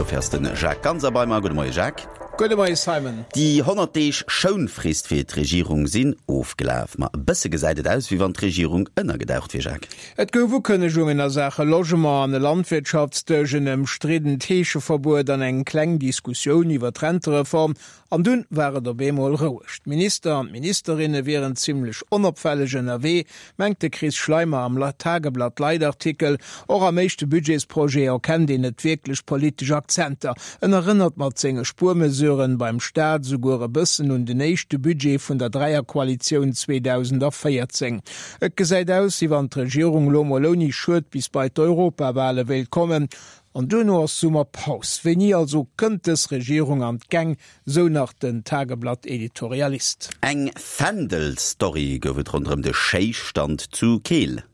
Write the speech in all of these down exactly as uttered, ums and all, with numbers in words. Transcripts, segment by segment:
Dofir ass de Jacques Ganser bei mer. Gudde Moie Jacques. Gudde Moie Simon. Déi honnert Deeg Schounfrist fir d'Regierung sinn ofgelaf. Ma e bësse gesäit et aus, wéi wann d'Regierung ënnergedaucht wier, Jacques. Et gouf Ukënnegungen a Saache Logement an e Landwirtschaftsdësch, en ëmstriddent Heescheverbuet an eng kleng Diskussioun iwwer d'Rentereform. An dunn war et op eemol roueg. D'Minister an d'Ministerinne wieren zimmlech onopfälleg ënnerwee, mengt de Chris Schleimer am Tageblatt-Leitartikel. Och am éischte Budgetsprojet erkennt een net wierklech politesch Akzenter. En erënnert mat senge Spuermesuren beim Staat souguer e bëssen un den éischte Budget vun der Dräierkoalitioun zweedausendvéierzéng. Et gesäit aus, wéi wann d'Regierung lo mol ouni Schued bis bei d'Europawale wéilt kommen. An duerno ass Summerpaus. Wéini also kënnt dës Regierung an d'Gäng? Sou nach den Tageblatt-Editorialist. Eng Fändel-Story gouf et ronderëm de Schéistand zu Keel.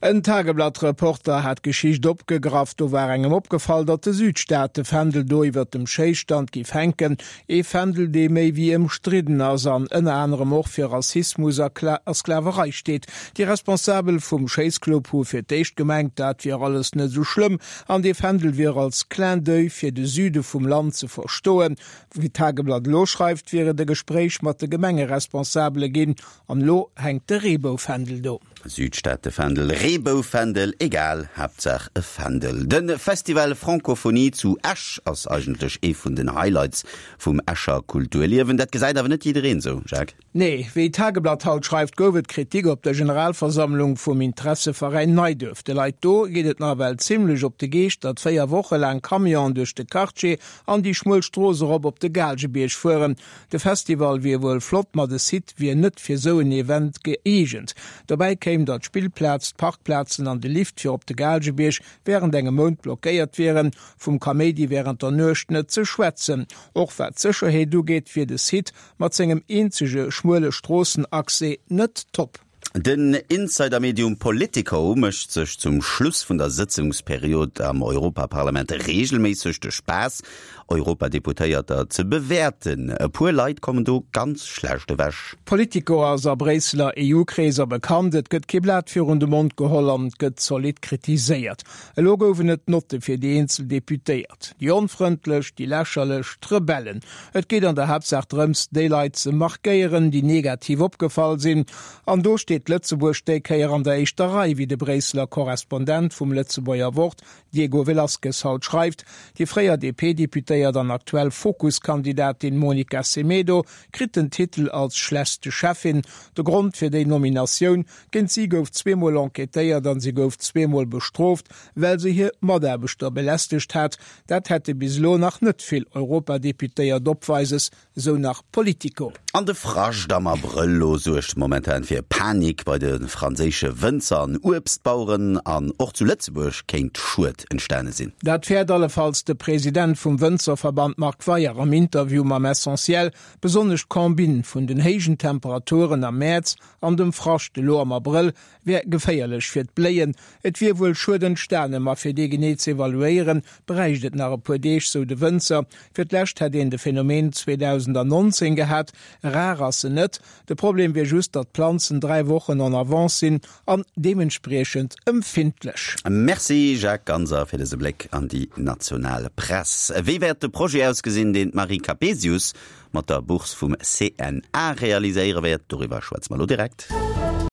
En Tageblatt-Reporter hat d'Geschicht opgegraff. Do war engem opgefall, datt de Südstaate-Fändel do iwwert dem Schéistand giff hänken. Ee Fändel, dee méi wéi ëmstridden ass an ënner anerem och fir Rassismus a Sklaverei steet. Déi Responsabel vum Schéissclub hu fir d'éischt gemengt, dat wier alles net esou schlëmm an dee Fändel wier als Clin d'oeil fir de Süde vum Land ze verstoen. Wéi d'Tageblatt elo schreift, wier et e Gespréich mat de Gemengeresponsabele ginn an elo hänkt de Reeboufändel do. Südstaatefändel, Reeboufändel, egal, Haaptsaach e Fändel. De Festival Francophonie zu Esch ass eigentlech ee vun den Highlights vum Escher Kulturliewen. Dat gesäit awer net jiddereen esou, Jacques. Nee, wéi d'Tageblatt haut schreift, gouf et Kritik op der Generalversammlung vum Interesseveräin Neiduerf. De Leit do geet et nawell zimmlech op de Geescht, datt véier Woche laang Camionen duerch de Quartier an déi schmuel Strooss erop op de Gaalgebierg fueren. De Festival wier wuel flott, ma de Site wier net fir sou en Event gëeegent. Dobäi kéim, datt d'Spillplaz, d'Parkplazen an de Lift fir op de Gaalgebierg wärend engem Mount blockéiert wieren. Vum Kaméidi wärend der Nuecht net ze schwätzen. Och wat d'Sécherheet ugeet, wier de Site mat sengem eenzege schmuele Stroossenaccès net top. Den Insidermedium Politico mécht sech zum Schluss vun der Sëtzungsperiod am Europaparlament reegelméisseg de Spaass, Europadeputéierter ze bewäerten. E puer Leit kommen do ganz schlecht ewech. Politico ass a Bréisseler E U-Kreeser bekannt, et gëtt kee Blat virun de Mond geholl an et gëtt zolidd kritiséiert. Elo goufen et Notte fir déi eenzel Deputéiert, déi onfrëndlech, déi lächerlech, d'Rebellen. Et geet an der Haaptsaach drëms, déi Leit ze markéieren, déi negativ opgefall sinn. An do steet Lëtzebuerg déi Kéier an der éischter Rei, wéi de Bréisseler Korrespondent vum Lëtzebuerger Wort, Diego Velazquez, haut schreift. Déi fréier D P-Deputéiert an aktuell Fokus-Kandidatin Monica Semedo kritt den Titel als schlechtste Cheffin. De Grond fir déi Nominatioun, Géint si gouf zweemol enquêtéiert an si gouf zweemol bestrooft, well se hir Mataarbechter belästegt hat. Dat hätte bis elo nach net vill Europadeputéiert opweises, sou nach Politico. An de Frascht am Abrëll lo suergt momentan fir Panik bei de franséische Wënzer an Uebstbaueren an och zu Lëtzebuerg kéint Schued entstane sinn. Dat fäert allefalls de President vum Wënzerverband Marc Weyer am Interview mam Essentiel. Besonnesch d'Combine vun den héijen Temperaturen am Mäerz an dem Frascht elo am Abrëll wär geféierlech fir d'Bléien. Et wier wuel Schued entstane, ma fir dee genee ze evaluéieren, bräicht et nach e puer Deeg, sou de Wënzer. Fir d'lescht hätt een de Phänomen zweedausendnonzéng gehat. Rar ass en net. De Problem wier just, datt d'Planzen dräi Wochen en avance sinn an deementspriechend empfindlech. Merci Jacques Ganser fir dëse Bléck an déi national Press. Wéi wäert de Projet ausgesinn, deen d'Marie Capesius mat der Bourse vum C N A realiséiere wäert? Doriwwer schwätze mer elo direkt.